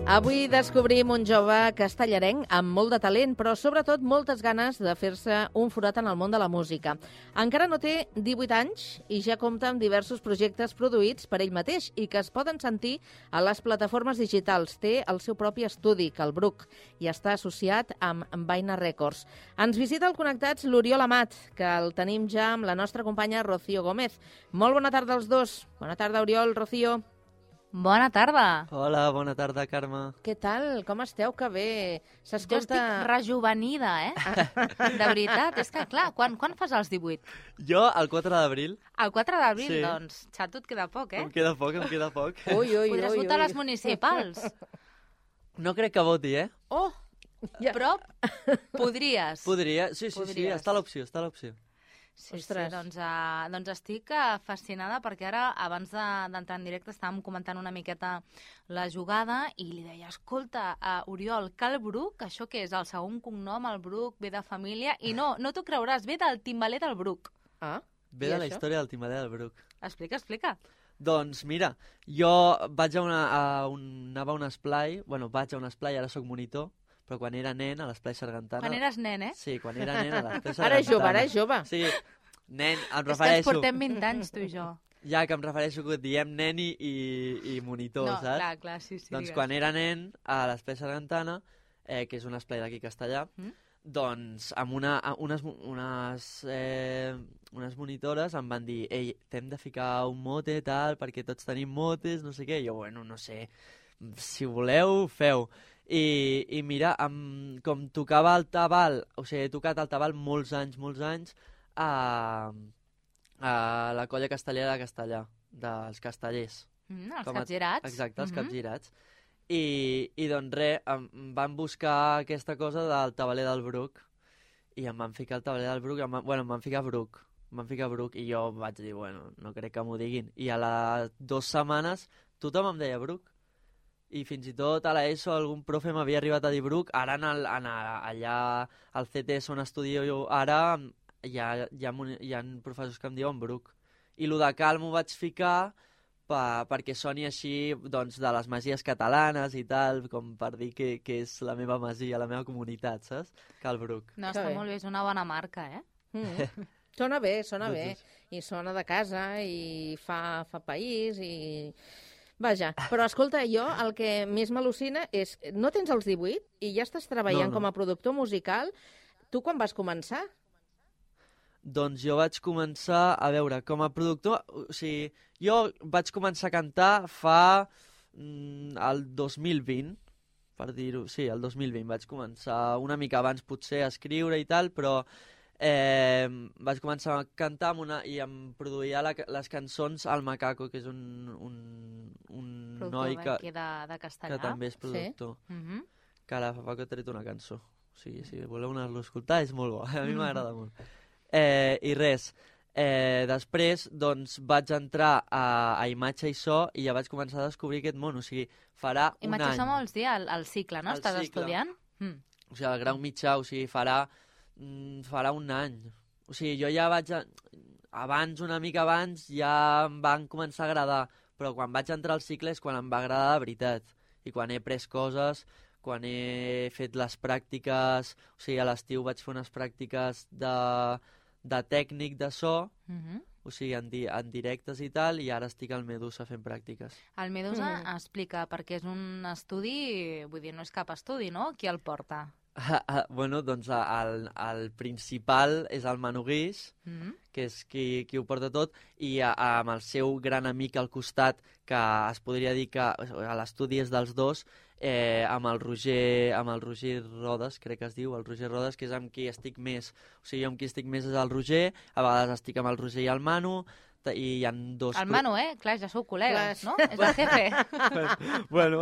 Avui descobrim un jove castellarenc amb molt de talent, però sobretot moltes ganes de fer-se un forat en el món de la música. Encara no té 18 anys i ja compta amb diversos projectes produïts per ell mateix i que es poden sentir a les plataformes digitals. Té el seu propi estudi, Calbruc, i està associat amb Vaina Records. Ens visita al Connectats l'Oriol Amat, que el tenim ja amb la nostra companya Rocío Gómez. Molt bona tarda als dos. Bona tarda, Oriol, Rocío. Bona tarda. Hola, bona tarda, Carme. Què tal? Com esteu? Que bé. Jo estic rejuvenida, De veritat, és que clar, quan fas els 18? Jo, el 4 d'abril. El 4 d'abril, Sí. doncs, xato, et queda poc, Em queda poc, em queda poc. Ui, ui, Podràs ui, votar a ui. les municipals. No crec que voti, Oh, Ja. però podries. Podria, sí, Podries. està l'opció, està l'opció. Sí, Ostres. doncs estic fascinada perquè ara, abans d'entrar en directe, estàvem comentant una miqueta la jugada i li deia, escolta, Oriol, Calbruc, això què és? El segon cognom, el Bruc, ve de família, i no t'ho creuràs, ve del timbaler del Bruc. Ah, Ve I de la això? història del timbaler del Bruc. Explica. Doncs mira, jo vaig anava a un esplai, vaig a un esplai, ara sóc monitor, però quan era nen a l'esplai Sargantana... Quan eres nen, Sí, quan era nen a l'esplai Sargantana. Ara és jove, ara és jove. Sí, nen, em És que ens refereixo... portem 20 anys, tu i jo. Ja que em refereixo que diem nen i monitor, No, saps? clar, sí. Doncs digues. quan era nen, a l'esplai Sargantana, que és un esplai d'aquí castellà, doncs amb unes monitores em van dir ei, t'hem de ficar un mote, tal, perquè tots tenim motes, no sé què. I jo, no sé, si voleu, feu. I mira, com tocava el tabal, o sigui, he tocat el tabal molts anys, a la colla castellera de Castellà, dels castellers. Els capgirats. Exacte, els capgirats. I doncs res, em van buscar aquesta cosa del tabaler del Bruc i em van ficar el tabaler del Bruc, em van ficar Bruc. Em van ficar Bruc i jo vaig dir, no crec que m'ho diguin. I a les 2 setmanes tothom em deia Bruc. I fins i tot a l'ESO algun profe m'havia arribat a dir Bruc. Ara allà al CTS on estudio jo ara hi ha professors que em diuen Bruc. I lo de Cal m'ho vaig ficar perquè soni així doncs, de les masies catalanes i tal, com per dir que és la meva masia, la meva comunitat, saps? Cal Bruc. No, Que està bé. molt bé, és una bona marca, Sona bé, i sona de casa, i fa país, i... Vaja, però escolta, jo el que més m'al·lucina és, no tens els 18 i ja estàs treballant No. com a productor musical. Tu quan vas començar? Doncs jo vaig començar, a veure, com a productor, o sigui, jo vaig començar a cantar el 2020, per dir-ho, sí, el 2020 vaig començar una mica abans potser a escriure i tal, però vaig començar a cantar i em produïa les cançons al Macaco, que és un noi Productor de Castellà. que també és productor, Mhm. que ara fa poc ha tret una cançó. O sigui, si voleu anar-lo a escoltar, és molt bo, a mi m'agrada molt. I res, després doncs vaig entrar a Imatge i So i ja vaig començar a descobrir aquest món, o sigui, farà un Imatge any. som vols dir el cicle, no? El Estàs cicle. estudiant? O sigui, el grau mitjà, o sigui, farà un any. O sigui, jo ja una mica abans, ja em van començar a agradar, però quan vaig entrar al cicle és quan em va agradar de veritat. I quan he pres coses, quan he fet les pràctiques, o sigui, a l'estiu vaig fer unes pràctiques de tècnic de so, o sigui, en directes i tal, i ara estic al Medusa fent pràctiques. El Medusa explica, perquè és un estudi, vull dir, no és cap estudi, no? Qui el porta? Doncs el principal és el Manu Guix, que és qui ho porta tot, i amb el seu gran amic al costat, que es podria dir que l'estudi és dels dos, amb el Roger Rodes, crec que es diu, el Roger Rodes, que és amb qui estic més. O sigui, jo amb qui estic més és el Roger, a vegades estic amb el Roger i el Manu, i hi ha dos... El Manu, clar, ja sou col·legues, Clar. no? És el jefe.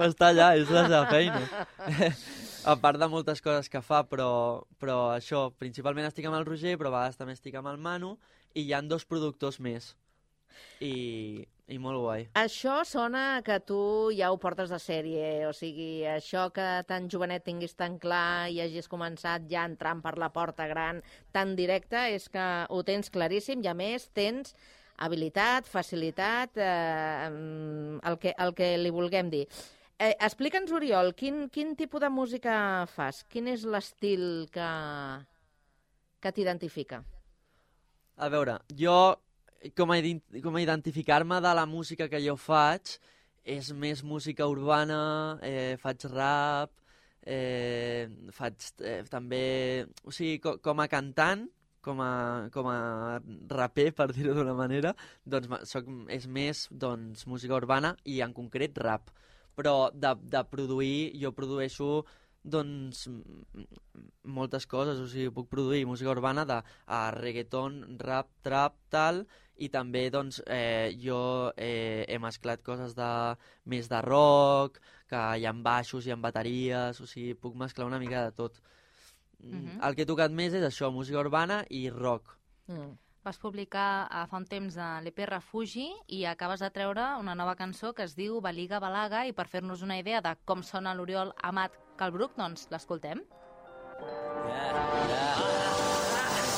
Està allà, és la seva feina. A part de moltes coses que fa, però això, principalment estic amb el Roger, però a vegades també estic amb el Manu, i hi ha 2 productors més. I molt guai. Això sona que tu ja ho portes de sèrie, o sigui, això que tan jovenet tinguis tan clar i hagis començat ja entrant per la porta gran tan directa, és que ho tens claríssim i a més tens habilitat, facilitat, el que li vulguem dir. Explica'ns, Oriol, quin tipus de música fas? Quin és l'estil que t'identifica? A veure, jo, com a identificar-me de la música que jo faig, és més música urbana, faig rap, faig també... O sigui, com a cantant, com a raper, per dir-ho d'una manera, doncs és més doncs, música urbana i en concret rap. Però de produir, jo produeixo doncs moltes coses, o sigui, puc produir música urbana de reggaeton, rap, trap, tal, i també doncs jo he mesclat coses més de rock, que hi ha baixos, hi ha bateries, o sigui, puc mesclar una mica de tot. El que he tocat més és això, música urbana i rock. Vas publicar fa un temps l'EP Refugi i acabes de treure una nova cançó que es diu Baliga Balaga, i per fer-nos una idea de com sona l'Oriol Amat Calbruc, doncs l'escoltem.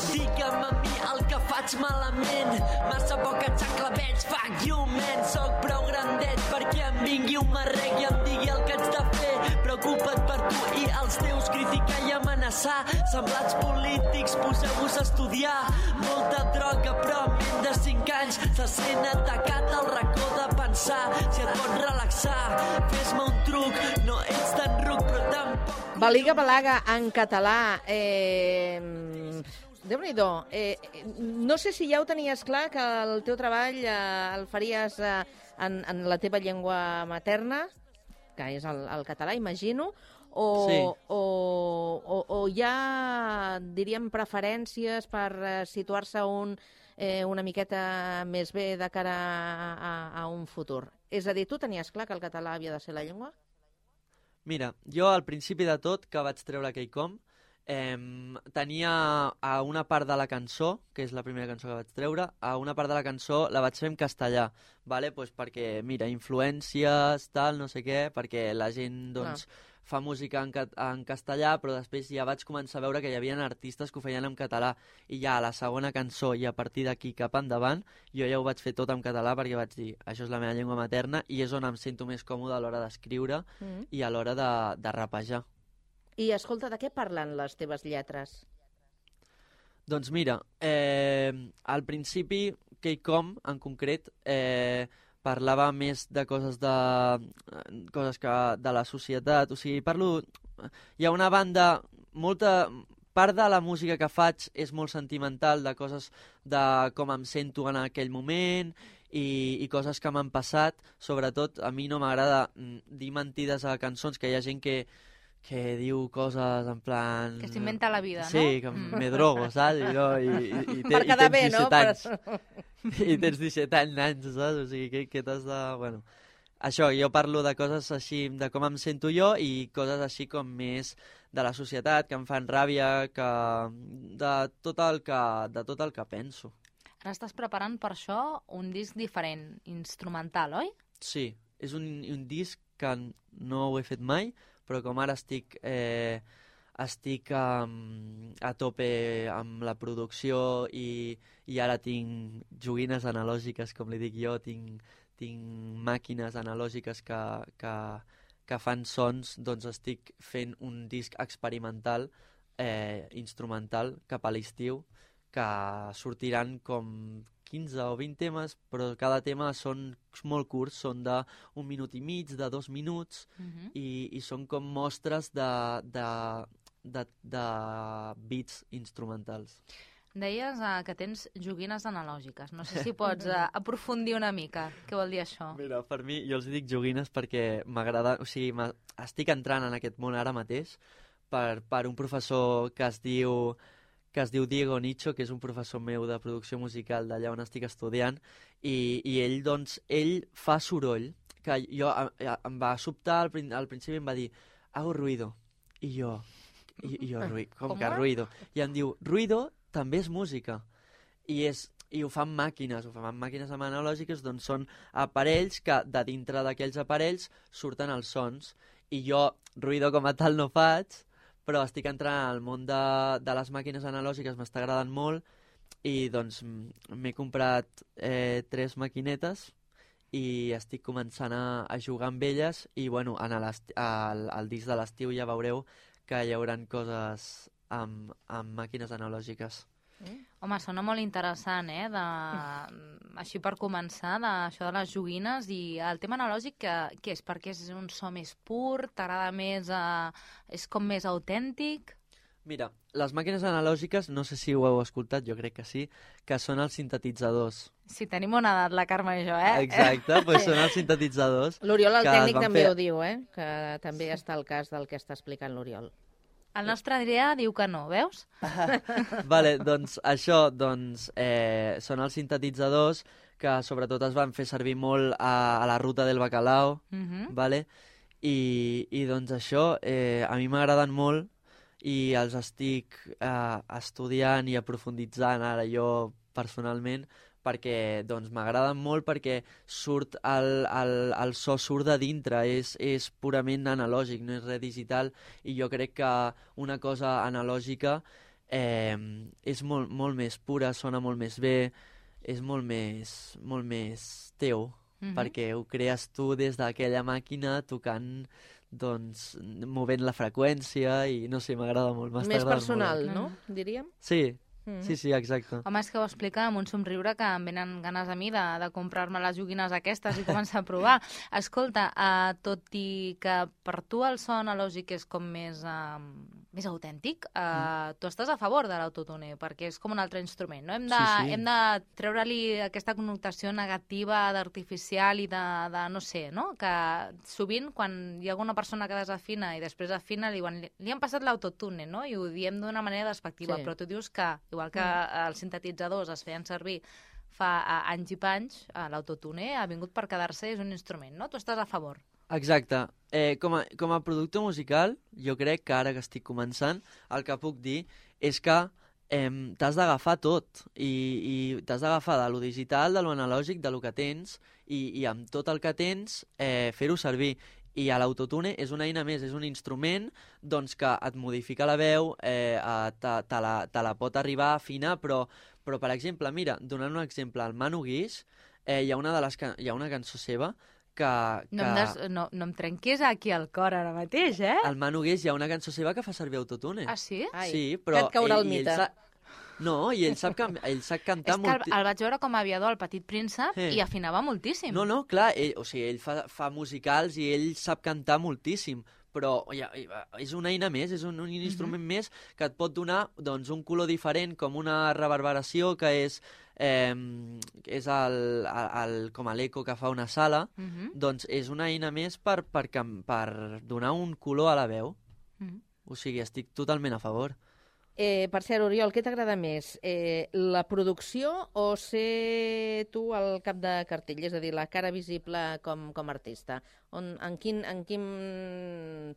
Digue'm a mi el que faig malament, massa poca xacla veig, fuck you man. Soc prou grandet perquè em vingui un marrec i em digui el que haig de fer. Preocupa't per tu i els teus, criticar i amenaçar. Semblats polítics, poseu-vos a estudiar. Molta droga però en menys de 5 anys se sent atacat al racó de pensar. Si et pots relaxar, fes-me un truc, no ets tan ruc però tampoc... Baliga Balaga en català... Déu-n'hi-do. No sé si ja ho tenies clar, que el teu treball el faries en la teva llengua materna, que és el català, imagino, Sí. o hi ha, diríem, preferències per situar-se una miqueta més bé de cara a un futur. És a dir, tu tenies clar que el català havia de ser la llengua? Mira, jo al principi de tot, que vaig treure Keicom, tenia a una part de la cançó, que és la primera cançó que vaig treure, a una part de la cançó la vaig fer en castellà, vale? Pues perquè, mira, influències, tal, no sé què, perquè la gent, doncs, fa música en castellà, però després ja vaig començar a veure que hi havia artistes que ho feien en català, i ja a la segona cançó i a partir d'aquí cap endavant, jo ja ho vaig fer tot en català perquè vaig dir, això és la meva llengua materna i és on em sento més còmode a l'hora d'escriure i a l'hora de rapejar. I, escolta, de què parlen les teves lletres? Doncs mira, al principi, Keicom, en concret, parlava més de coses de la societat, o sigui, hi ha una banda, part de la música que faig és molt sentimental, de coses de com em sento en aquell moment i coses que m'han passat. Sobretot, a mi no m'agrada dir mentides a cançons, que hi ha gent que diu coses en plan... Que s'inventa la vida, no? Sí, que me drogo, saps? I Per quedar bé, no? I tens 17 anys, saps? O sigui, que t'has de... Bueno, això, jo parlo de coses així, de com em sento jo, i coses així com més de la societat, que em fan ràbia, de tot el que penso. Ara estàs preparant per això un disc diferent, instrumental, oi? Sí, és un disc que no ho he fet mai, però com ara estic a tope amb la producció i ara tinc joguines analògiques, com li dic jo, tinc màquines analògiques que fan sons, doncs estic fent un disc experimental, instrumental, cap a l'estiu, que sortiran com 15 o 20 temes, però cada tema són molt curts, són d'1 minut i mig, de 2 minuts, i són com mostres de beats instrumentals. Deies que tens joguines analògiques. No sé si pots aprofundir una mica. Què vol dir això? Mira, per mi, jo els dic joguines perquè m'agrada... O sigui, estic entrant en aquest món ara mateix per un professor que es diu Diego Nicho, que és un professor meu de producció musical d'allà on estic estudiant, i ell, doncs, ell fa soroll, que jo em va sobtar al principi, em va dir, hago ruido, i jo com que ruido? I em diu, ruido també és música, i ho fan màquines analògiques, doncs són aparells que de dintre d'aquells aparells surten els sons, i jo ruido com a tal no faig, però estic entrant al món de les màquines analògiques, m'està agradant molt, i doncs m'he comprat 3 maquinetes i estic començant a jugar amb elles i bueno, al disc de l'estiu ja veureu que hi haurà coses amb màquines analògiques. Home, sona molt interessant, així per començar, això de les joguines. I el tema analògic, què és? Perquè és un so més pur, t'agrada més, és com més autèntic? Mira, les màquines analògiques, no sé si ho heu escoltat, jo crec que sí, que són els sintetitzadors. Sí, tenim una edat, la Carme i jo, Exacte, doncs són els sintetitzadors. L'Oriol, el tècnic, també ho diu, que també està el cas del que està explicant l'Oriol. El nostre Adrià diu que no, veus? Vale, doncs això són els sintetitzadors que sobretot es van fer servir molt a la ruta del bacalao, vale? I doncs això a mi m'agraden molt i els estic estudiant i aprofunditzant ara jo personalment perquè doncs m'agraden molt perquè surt el so surt de dintre, és purament analògic, no és res digital i jo crec que una cosa analògica és molt més pura, sona molt més bé, és molt més teu, perquè ho crees tu des d'aquella màquina tocant, doncs, movent la freqüència i no sé, m'agrada molt. Més personal, no? Diríem? Sí. Sí, exacte. Home, és que ho explica amb un somriure que em venen ganes a mi de comprar-me les joguines aquestes i començar a provar. Escolta, tot i que per tu el so analògic és com més autèntic, tu estàs a favor de l'autotune, perquè és com un altre instrument, no? Hem de treure-li aquesta connotació negativa d'artificial i de no sé, no? Que sovint, quan hi ha alguna persona que desafina i després afina, li han passat l'autotune, no? I ho diem d'una manera despectiva, però tu dius que igual que els sintetitzadors es feien servir fa anys i panys, l'autotune ha vingut per quedar-se, és un instrument, no? Tu estàs a favor. Exacte. Com a productor musical, jo crec que ara que estic començant, el que puc dir és que t'has d'agafar tot i t'has d'agafar de lo digital, de lo analògic, de lo que tens i amb tot el que tens fer-ho servir. I l'autotune és una eina més, és un instrument doncs, que et modifica la veu, te la pot arribar a afinar, però per exemple, mira, donant un exemple, al Manu Guix hi ha una cançó seva que... No em trenquis aquí al cor ara mateix, Al Manu Guix hi ha una cançó seva que fa servir autotune. Ah, sí? Sí, però... Que et caurà el mite. No, i ell sap cantar... És que el vaig veure com a aviador al Petit Príncep i afinava moltíssim. No, clar, ell fa musicals i ell sap cantar moltíssim, però és una eina més, és un instrument més que et pot donar doncs, un color diferent, com una reverberació que és com l'eco que fa una sala, doncs és una eina més per donar un color a la veu. O sigui, estic totalment a favor. Per cert, Oriol, què t'agrada més? La producció o ser tu al cap de cartell? És a dir, la cara visible com a artista. En quin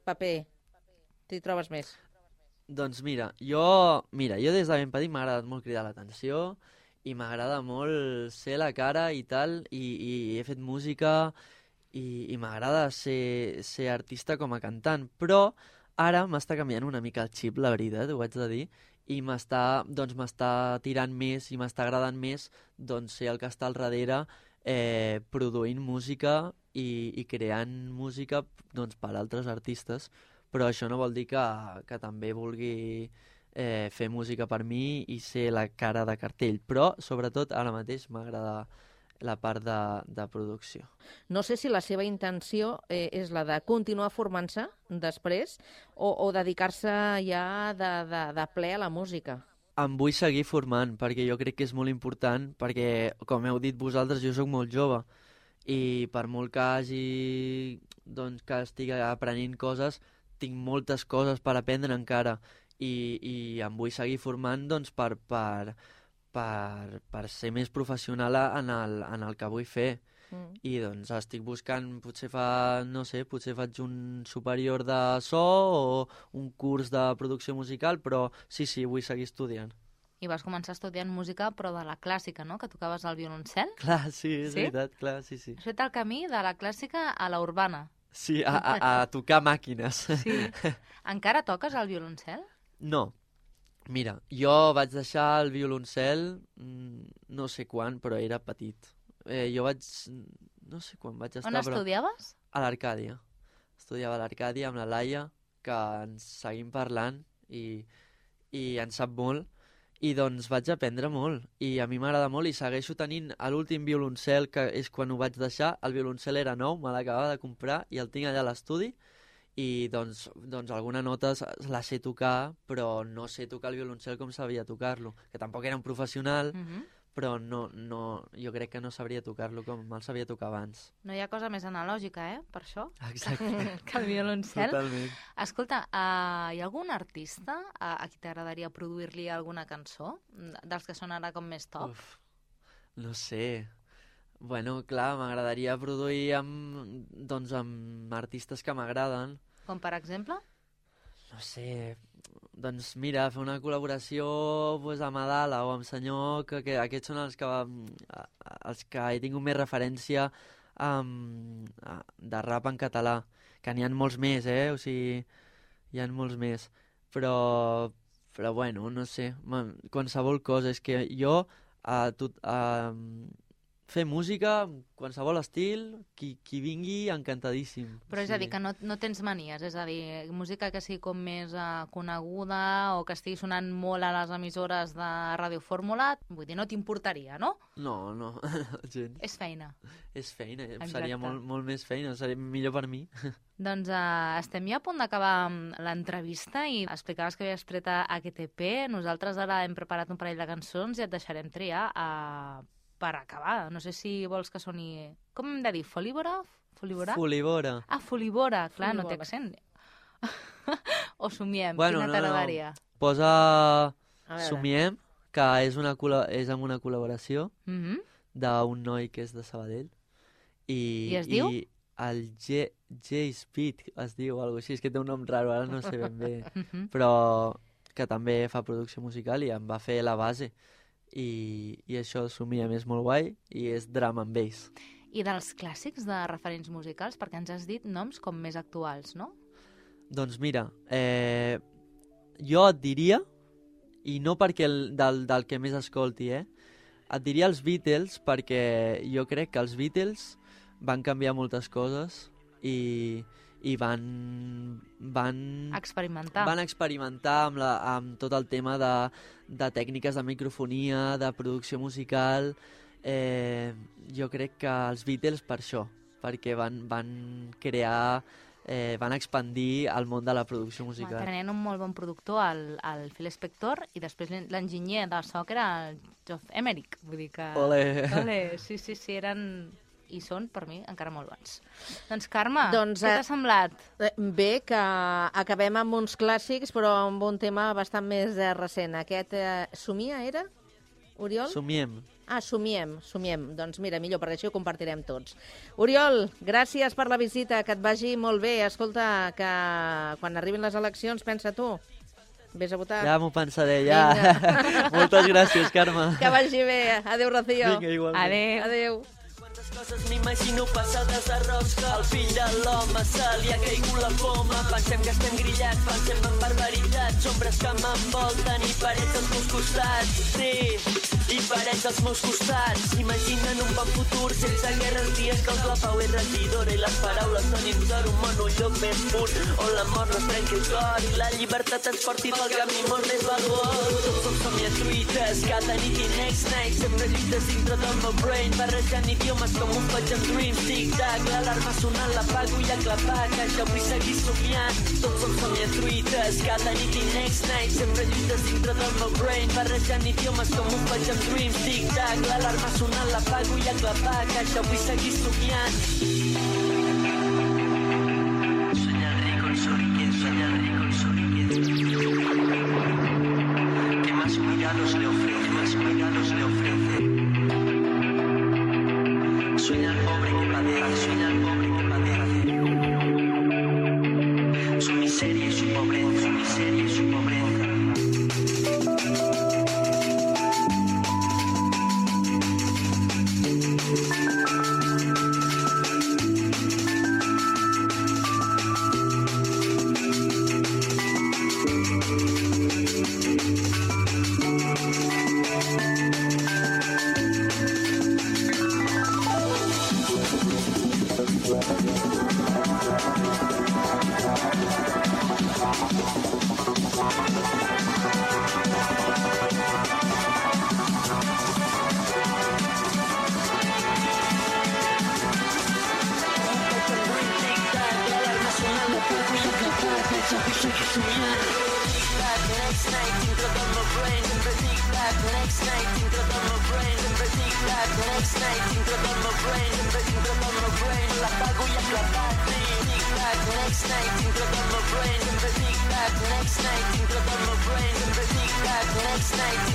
paper t'hi trobes més? Doncs mira, jo des de ben petit m'ha agradat molt cridar l'atenció i m'agrada molt ser la cara i tal, i he fet música i m'agrada ser artista com a cantant, però ara m'està canviant una mica el xip, la veritat, ho haig de dir, i m'està tirant més i m'està agradant més doncs, ser el que està al darrere produint música i creant música doncs, per altres artistes, però això no vol dir que també vulgui fer música per mi i ser la cara de cartell, però sobretot ara mateix m'agrada la part de producció. No sé si la seva intenció és la de continuar formant-se després o dedicar-se ja de ple a la música. Em vull seguir formant, perquè jo crec que és molt important, perquè, com heu dit vosaltres, jo sóc molt jove i per molt que que estigui aprenent coses, tinc moltes coses per aprendre encara i em vull seguir formant doncs, per ser més professional en el que vull fer. I doncs estic buscant, potser faig un superior de so o un curs de producció musical, però sí, vull seguir estudiant. I vas començar estudiant música, però de la clàssica, no?, que tocaves el violoncel? Clar, sí, és veritat, clar, sí. Has fet el camí de la clàssica a la urbana. Sí, a tocar màquines. Sí. Encara toques el violoncel? No. Mira, jo vaig deixar el violoncel no sé quan, però era petit. Jo vaig no sé quan vaig estar, On estudiaves? A l'Arcàdia. Estudiava a l'Arcàdia amb la Laia, que ens seguim parlant i en sap molt. I doncs vaig aprendre molt. I a mi m'agrada molt i segueixo tenint l'últim violoncel, que és quan ho vaig deixar. El violoncel era nou, me l'acabava de comprar i el tinc allà a l'estudi. I doncs alguna nota la sé tocar, però no sé tocar el violoncel com sabia tocar-lo. Que tampoc era un professional, però jo crec que no sabria tocar-lo com el sabia tocar abans. No hi ha cosa més analògica, per això, Exacte. que el violoncel. Totalment. Escolta, hi ha algun artista a qui t'agradaria produir-li alguna cançó? Dels que són ara com més top? Uf, no sé. Bueno, clar, m'agradaria produir amb artistes que m'agraden. Com per exemple? No sé, doncs mira, fer una col·laboració amb Adala o amb Senyor, que aquests són els que he tingut més referència de rap en català, que n'hi ha molts més, o sigui, hi ha molts més, però bueno, no sé, qualsevol cosa, és que jo fer música, qualsevol estil, qui vingui, encantadíssim. Però és a dir, que no tens manies, és a dir, música que sigui com més coneguda o que estigui sonant molt a les emissores de Ràdio Fórmula, vull dir, no t'importaria, no? No, gens. És feina. És feina, Exacte. Seria molt més feina, seria millor per mi. Doncs estem ja a punt d'acabar l'entrevista i explicaves que havies tret a AQTP. Nosaltres ara hem preparat un parell de cançons i et deixarem triar per acabar. No sé si vols que soni... Com hem de dir? Folívora? Folívora? Folívora. Ah, folívora. Clar, no té Folívora. accent. O somiem. Bueno, Quina t'agradaria? Posa A veure. Somiem, que és amb una col·laboració Mhm. d'un noi que és de Sabadell. I es diu? I el J-Speed es diu, o alguna cosa així. És que té un nom raro, ara no sé ben bé. Mhm. Però que també fa producció musical i em va fer la base. I això, Somiem, és molt guai i és drum and bass. I dels clàssics de referents musicals, perquè ens has dit noms com més actuals, no? Doncs mira, jo et diria, i no perquè del que més escolti, et diria els Beatles, perquè jo crec que els Beatles van canviar moltes coses i van Experimentar. van experimentar amb tot el tema de tècniques de microfonia, de producció musical. Jo crec que els Beatles per això, perquè van crear, van expandir el món de la producció musical. Tenien un molt bon productor, el Phil Spector, i després l'enginyer de so, que era el Geoff Emerick. Vull dir que... Ole. Ole. Sí, eren... I són, per mi, encara molt bons. Doncs, Carme, Doncs, què t'ha semblat? Bé, que acabem amb uns clàssics, però amb un tema bastant més recent. Aquest Somia era, Oriol? Somiem. Somiem. Doncs mira, millor, perquè així ho compartirem tots. Oriol, gràcies per la visita, que et vagi molt bé. Escolta, que quan arribin les eleccions, pensa tu. Vés a votar. Ja m'ho pensaré, ja. Moltes gràcies, Carme. Que vagi bé. Adéu, Rocío. Vinga, igualment. Adéu. Adéu. Quantes coses m'imagino passades de rosca. Al fill de l'home se li ha caigut la poma. Pensem que estem grillats, pensem en barbaritats. Ombres que m'envolten i parets als meus costats. Sí, i parets als meus costats. Imaginen un bon futur sense guerres, dies que la pau és regidora i les paraules donin sort. Un món, un lloc més pur on la mort no es trenqui el cor i la llibertat ens porti pel camí molt més valuós. Tots som somniatruites, cada nit i next night. Sempre lluites dintre del meu brain, barrejant idiomes com un faig en dream. Tic-tac, l'alarma sonant, l'apago i a clapar, que jo vull seguir somiant. Tots som somniatruites, cada nit i next night. Sempre lluites dintre del meu brain, barrejant idiomes com un faig en dream. Tic-tac, l'alarma sonant, l'apago i a clapar, que jo vull seguir somiant. Soñar rico en su riqueza. ¿Qué más cuidados le ofrece? Más cuidados le ofrece. Sueña al pobre que padece, sueña al pobre que padece. Su miseria y su pobreza, su miseria y su pobreza. Next night,